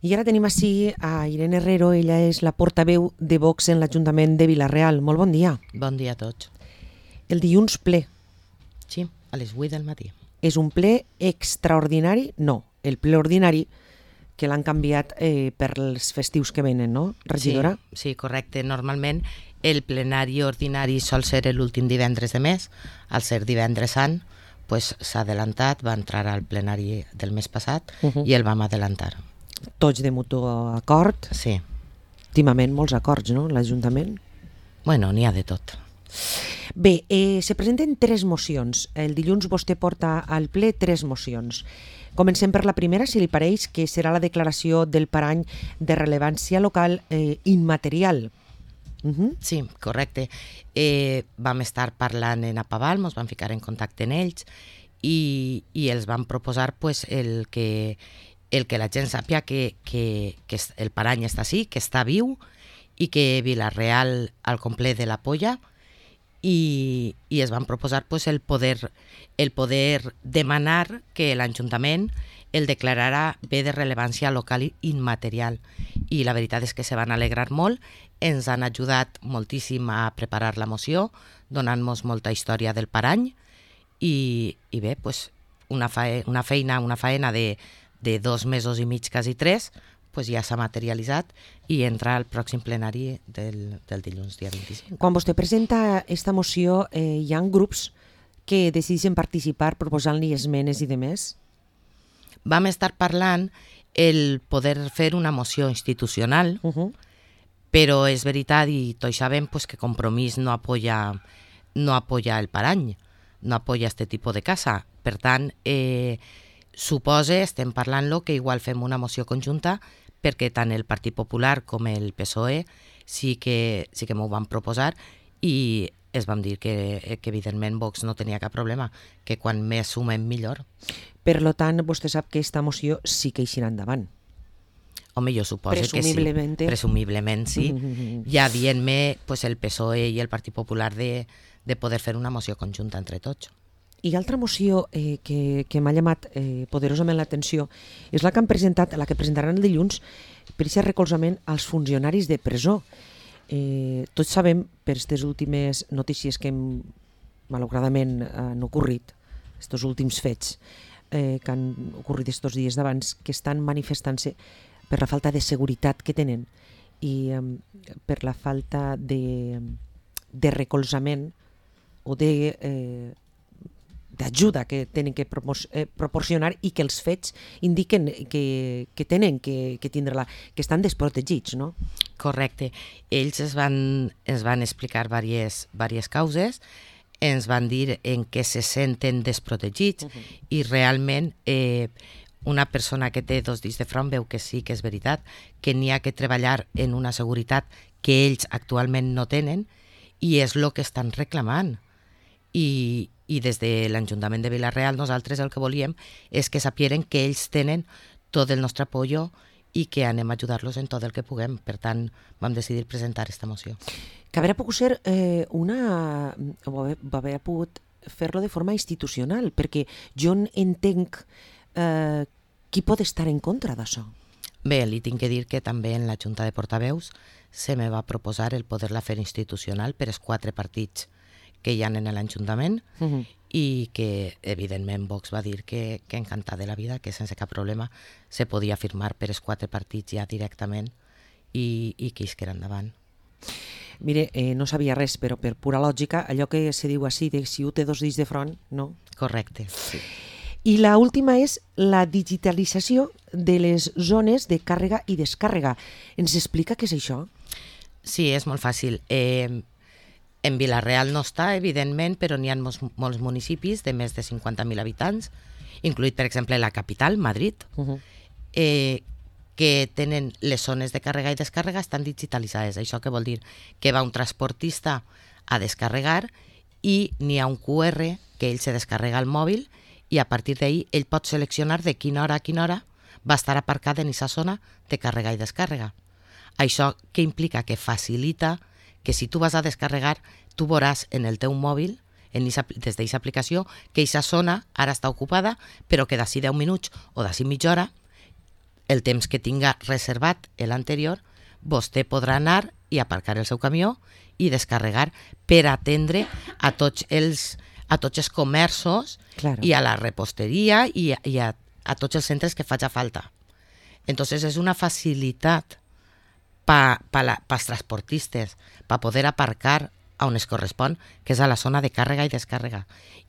I ara tenim ací a Irene Herrero, ella és la portaveu de Vox en l'Ajuntament de Vila-real. Molt bon dia. Bon dia a tots. El dilluns ple. Sí, a les 8 del matí. És un ple extraordinari? No, el ple ordinari que l'han canviat per els festius que venen, no, regidora? Sí, correcte. Normalment el plenari ordinari sol ser l'últim divendres de mes. Al ser divendres sant, s'ha adelantat, va entrar al plenari del mes passat i el vam adelantar. Tots de mutu acord. Sí. Últimament molts acords, no, l'Ajuntament? Bueno, n'hi ha de tot. Bé, se presenten 3 mocions. El dilluns vostè porta al ple 3 mocions. Comencem per la primera, si li pareix, que serà la declaració del parany de rellevància local immaterial. Sí, correcte. Vam estar parlant en Apaval, ens vam ficar en contacte amb ells i els vam proposar el que la gent sàpia que el parany està així, que està viu i que Vila-real al complet de la polla i es van proposar el poder demanar que l'Ajuntament el declararà bé de rellevància local i immaterial. I la veritat és que se van alegrar molt, ens han ajudat moltíssim a preparar la moció, donant-nos molta història del parany i bé, una faena de 2 mesos i mig, quasi 3, ja s'ha materialitzat i entra al pròxim plenari del dilluns, dia 25. Quan vostè presenta aquesta moció, hi ha grups que decideixen participar proposant-li esmenes i demés? Vam estar parlant el poder fer una moció institucional, però és veritat i tots sabem que Compromís no apoya el parany, no apoya este tipus de casa. Per tant, estem parlant-lo que igual fem una moció conjunta perquè tant el Partit Popular com el PSOE sí que m'ho van proposar i es vam dir que evidentment Vox no tenia cap problema, que quan més sumem millor. Per tant, vostè sap que aquesta moció sí que eixirà endavant. Home, jo suposo que sí. Presumiblement sí. Ja dient-me el PSOE i el Partit Popular de poder fer una moció conjunta entre tots. I altra moció que m'ha llamat poderosament l'atenció és la que han presentat, la que presentaran el dilluns, per aquest recolzament als funcionaris de presó. Tots sabem, per aquestes últimes notícies que malauradament han ocorrit, aquests últims fets que han ocorrit aquests dies d'abans, que estan manifestant-se per la falta de seguretat que tenen i per la falta de recolzament o d'ajuda que tenen que proporcionar i que els fets indiquen que tenen que tindre-la, que estan desprotegits, no? Correcte. Ells ens van explicar diverses causes, ens van dir en què se senten desprotegits i realment una persona que té 2 dits de front veu que sí que és veritat, que n'hi ha que treballar en una seguretat que ells actualment no tenen i és el que estan reclamant. I des de l'Ajuntament de Vila-real nosaltres el que volíem és que sapieren que ells tenen tot el nostre apoyo i que anem a ajudar-los en tot el que puguem. Per tant, vam decidir presentar aquesta moció. Que hauria pogut ser hauria pogut fer-lo de forma institucional, perquè jo entenc qui pot estar en contra d'això. Bé, li tinc que dir que també en la Junta de Portaveus se me va proposar el poder-la fer institucional per als 4 partits que hi ha en l'Ajuntament i que, evidentment, Vox va dir que encantat de la vida, que sense cap problema se podia firmar per als 4 partits ja directament i que isquera endavant. Mire, no sabia res, però per pura lògica, allò que se diu així, de si un té 2 dits de front, no? Correcte, sí. I la última és la digitalització de les zones de càrrega i descàrrega. Ens explica què és això? Sí, és molt fàcil. En Vila-real no està, evidentment, però n'hi ha molts municipis de més de 50.000 habitants, incluït, per exemple, la capital, Madrid, que tenen les zones de càrrega i descàrrega estan digitalitzades. Això què vol dir? Que va un transportista a descarregar i n'hi ha un QR que ell se descarrega al mòbil i a partir d'ahir ell pot seleccionar de quina hora a quina hora va estar aparcat en aquesta zona de càrrega i descàrrega. Això què implica? Que facilita que si tu vas a descarregar, tu veuràs en el teu mòbil, des d'aquesta aplicació, que aquesta zona ara està ocupada, però que d'ací 10 minuts o d'ací mitja hora el temps que tinga reservat l'anterior, vostè podrà anar i aparcar el seu camió i descarregar per atendre a tots els comerços i a la reposteria i a tots els centres que faci falta. Entonces és una facilitat pels transportistes per poder aparcar on es correspon, que és a la zona de càrrega i descàrrega.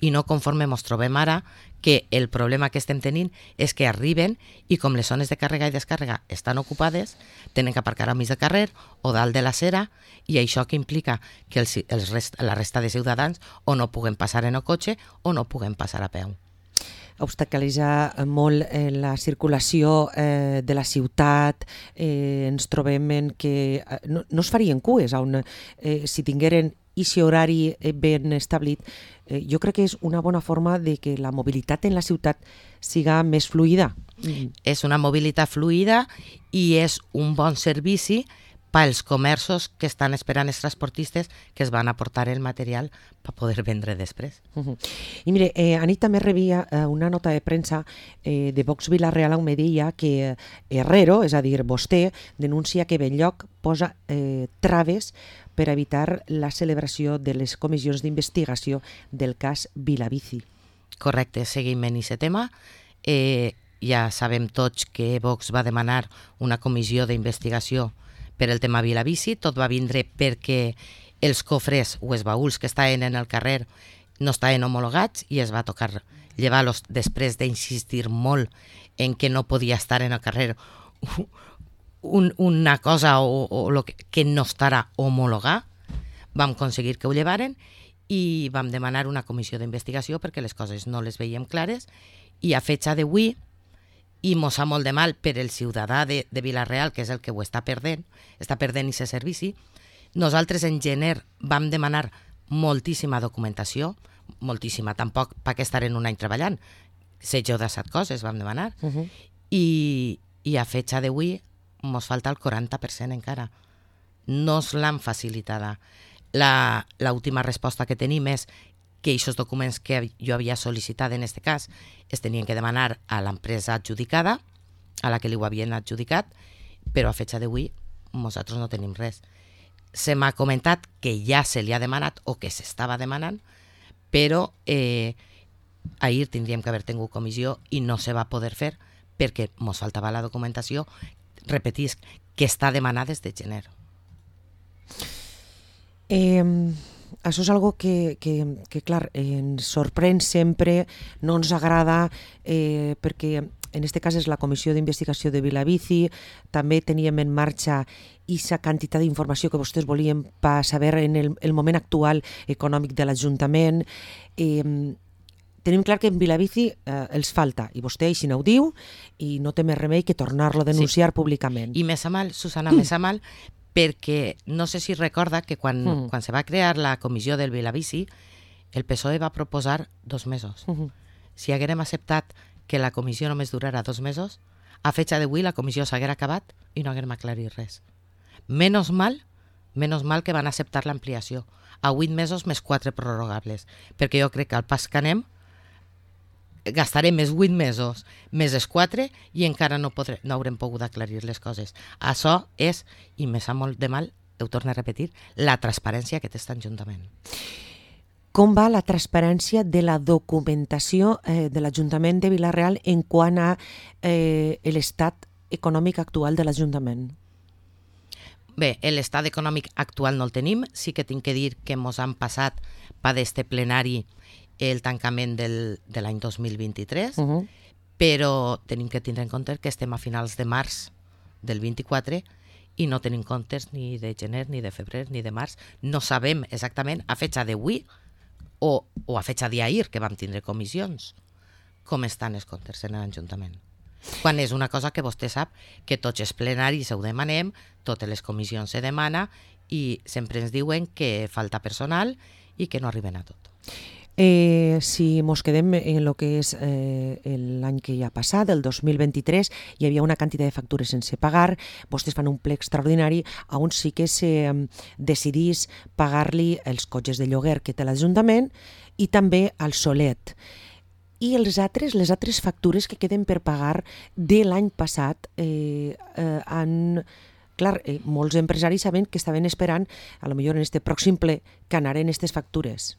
I no conforme ens trobem ara, que el problema que estem tenint és que arriben i com les zones de càrrega i descàrrega estan ocupades, tenen que aparcar al mig del carrer o dalt de l'acera, i això que implica que la resta de ciutadans o no puguen passar en el cotxe o no puguen passar a peu. Obstaculitza molt la circulació de la ciutat, ens trobem en que no es farien cues, on si tingueren aquest horari ben establit, jo crec que és una bona forma de que la mobilitat en la ciutat siga més fluida. És una mobilitat fluida i és un bon servici pels comerços que estan esperant els transportistes que es van aportar el material per poder vendre després. I mire, anit també rebia una nota de premsa de Vox Vila-real on me deia que Herrero, és a dir, vostè, denuncia que Benlloc posa traves per evitar la celebració de les comissions d'investigació del cas Vilabici. Correcte, seguim en aquest tema. Ja sabem tots que Vox va demanar una comissió d'investigació per el tema Vilabici. Tot va vindre perquè els cofres o els baúls que estaven en el carrer no estaven homologats i es va tocar llevar-los després d'insistir molt en que no podia estar en el carrer una cosa o lo que no estarà homologat. Vam aconseguir que ho llevaren i vam demanar una comissió d'investigació perquè les coses no les veiem clares, i a fecha d'avui, i mos fa molt de mal per el ciutadà de Vila-real, que és el que ho està perdent aquest servici. Nosaltres en gener vam demanar moltíssima documentació, moltíssima, tampoc perquè estarem un any treballant, 16 o 17 coses vam demanar, i a fecha d'avui mos falta el 40% encara. No es l'han facilitada. L'última resposta que tenim és que aquests documents que jo havia sol·licitat en aquest cas es tenien que demanar a l'empresa adjudicada, a la que li ho havien adjudicat, però a fecha d'avui nosaltres no tenim res. Se m'ha comentat que ja se li ha demanat o que s'estava demanant, però ahir tindríem que haver tingut comissió i no se va poder fer perquè ens faltava la documentació, repetisc, que està demanada des de gener. Això és algo que clar, ens sorprèn sempre, no ens agrada, perquè en aquest cas és la Comissió d'Investigació de Vilabici, també teníem en marxa aquesta quantitat d'informació que vostès volien per saber en el moment actual econòmic de l'Ajuntament. Tenim clar que en Vilabici els falta, i vostè així no ho diu, i no té més remei que tornar-lo a denunciar públicament. I més a mal, Susana, més a mal, perquè no sé si recorda que quan se va crear la comissió del Vilabici, el PSOE va proposar 2 mesos. Si haguérem acceptat que la comissió només durara 2 mesos, a fecha d'avui la comissió s'haguera acabat i no haguérem aclarit res. Menos mal que van acceptar l'ampliació a 8 mesos més 4 prorrogables, perquè jo crec que al pas que anem gastarem més 8 mesos més els 4 i encara no haurem pogut aclarir les coses. Això és, i me sap molt de mal, ho torno a repetir, la transparència que té aquest Ajuntament. Com va la transparència de la documentació de l'Ajuntament de Vila-real en quant a l'estat econòmic actual de l'Ajuntament? Bé, l'estat econòmic actual no el tenim. Sí que tinc que dir que ens han passat per este plenari el tancament de l'any 2023, però tenim que tindre en compte que estem a finals de març del 24 i no tenim comptes ni de gener, ni de febrer, ni de març. No sabem exactament a fecha d'avui o a fecha d'ahir, que vam tindre comissions, com estan els comptes en l'Ajuntament. Quan és una cosa que vostè sap que tots els plenaris ho demanem, totes les comissions se demana i sempre ens diuen que falta personal i que no arriben a tot. Si mos quedem en el que és l'any que ja ha passat, el 2023, hi havia una quantitat de factures sense pagar, vostès fan un ple extraordinari on sí que se decidís pagar-li els cotxes de lloguer que té l'Ajuntament i també al Solet. I les altres factures que queden per pagar de l'any passat Clar, molts empresaris saben que estaven esperant, a lo millor en este pròxim ple, que anaren aquestes factures.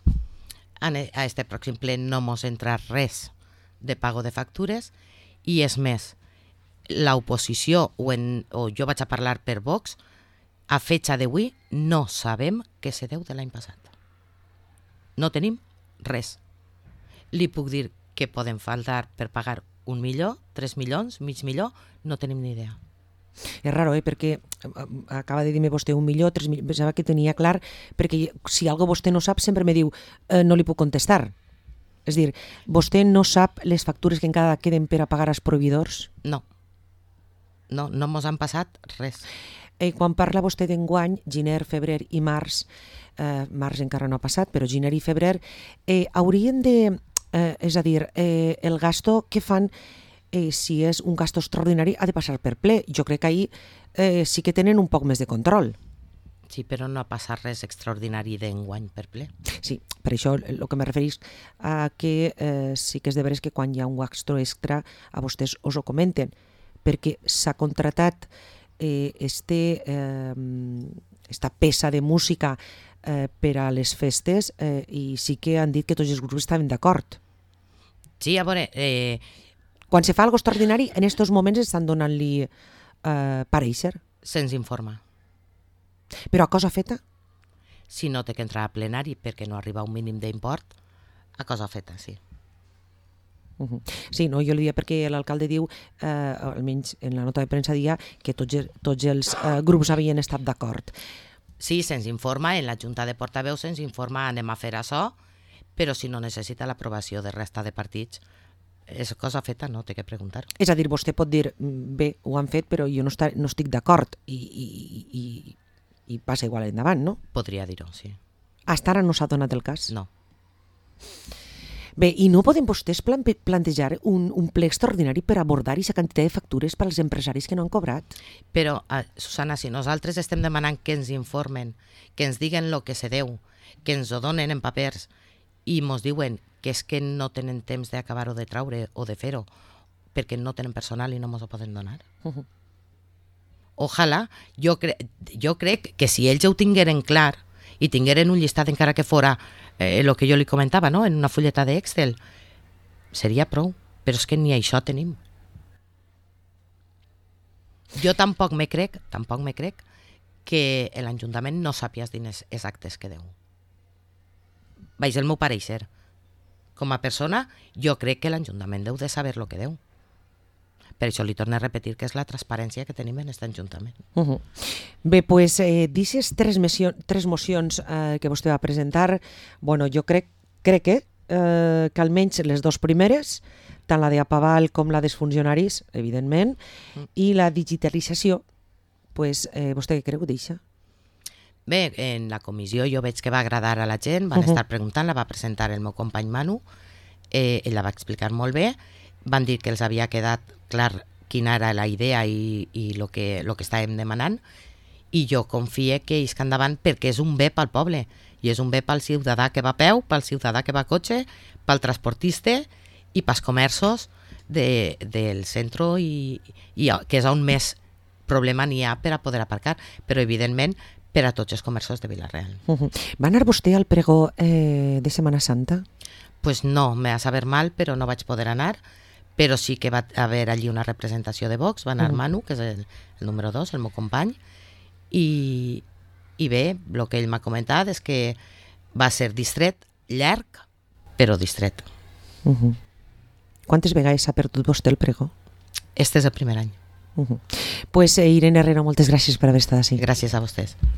A este pròxim ple no mos entra res de pago de factures i és més, l'oposició o jo vaig a parlar per Vox, a fetxa d'avui no sabem què se deu de l'any passat. No tenim res. Li puc dir que poden faltar per pagar 1 milió, 3 milions, mig milió, no tenim ni idea. És raro, perquè acaba de dir-me vostè 1 milió, 3 milions, pensava que tenia clar, perquè si algo vostè no sap sempre me diu no li puc contestar. És dir, vostè no sap les factures que encara queden per a pagar als proveïdors? No mos han passat res. Quan parla vostè d'enguany, gener, febrer i març, març encara no ha passat, però gener i febrer, haurien de, és a dir, el gasto que fan, si és un gasto extraordinari, ha de passar per ple. Jo crec que ahir sí que tenen un poc més de control. Sí, però no ha passat res extraordinari d'enguany per ple. Sí, per això el que me referís a que sí que és de veres que quan hi ha un gasto extra a vostès us ho comenten, perquè s'ha contratat esta peça de música per a les festes i sí que han dit que tots els grups estaven d'acord. Sí, a veure... Quan se fa algo extraordinari, en aquests moments estan donant-li pareixer. Se'ns informa. Però a cosa feta? Si no té que entrar a plenari perquè no arriba a un mínim d'import, a cosa feta, sí. Sí, no, jo li dia perquè l'alcalde diu, almenys en la nota de premsa dia, que tots els grups havien estat d'acord. Sí, se'ns informa, en la Junta de Portaveus se'ns informa, anem a fer això, però si no necessita l'aprovació de resta de partits, és cosa feta, no té que preguntar. És a dir, vostè pot dir, bé, ho han fet, però jo no estic d'acord i passa igual endavant, no? Podria dir-ho, sí. Hasta ara no s'ha donat el cas? No. Bé, i no poden vostès plantejar un ple extraordinari per abordar aquesta quantitat de factures per als empresaris que no han cobrat? Però, Susana, si nosaltres estem demanant que ens informen, que ens diguen el que se deu, que ens ho donen en papers i mos diuen que és que no tenen temps d'acabar-ho de traure o de fer-ho perquè no tenen personal i no mos ho poden donar. Ojalà, jo crec que si ells ho tingueren clar i tingueren un llistat encara que fora el que jo li comentava, no? En una fulleta d'Excel, seria prou, però és que ni això tenim. Jo tampoc me crec que l'Ajuntament no sàpia els diners exactes que deu. Vaig el meu pareixer. Com a persona, jo crec que l'Ajuntament deu de saber el que deu. Per això li torno a repetir que és la transparència que tenim en aquest Ajuntament. Bé, doncs, d'aquestes tres mocions que vostè va presentar, bueno, jo crec que almenys les dues primeres, tant la d'Apaval com la dels funcionaris, evidentment, i la digitalització, doncs, vostè què creu d'això? Bé, en la comissió jo veig que va agradar a la gent, van estar preguntant, la va presentar el meu company Manu, ell la va explicar molt bé, van dir que els havia quedat clar quina era la idea i el que estàvem demanant, i jo confie que isc endavant perquè és un bé pel poble, i és un bé pel ciutadà que va a peu, pel ciutadà que va a cotxe, pel transportista i pels comerços del centre, que és on més problema n'hi ha per a poder aparcar, però evidentment per a tots els comerços de Vila-real. Va anar vostè al pregó de Setmana Santa? Pues no, me va saber mal, però no vaig poder anar, però sí que va haver allí una representació de Vox, va anar Manu, que és el número 2, el meu company, i bé, el que ell m'ha comentat és que va ser distret, llarg, però distret. Quantes vegades s'ha perdut vostè el pregó? Este és el primer any. Pues Irene Herrero, moltes gràcies per haver estat així. Gràcies a vostès.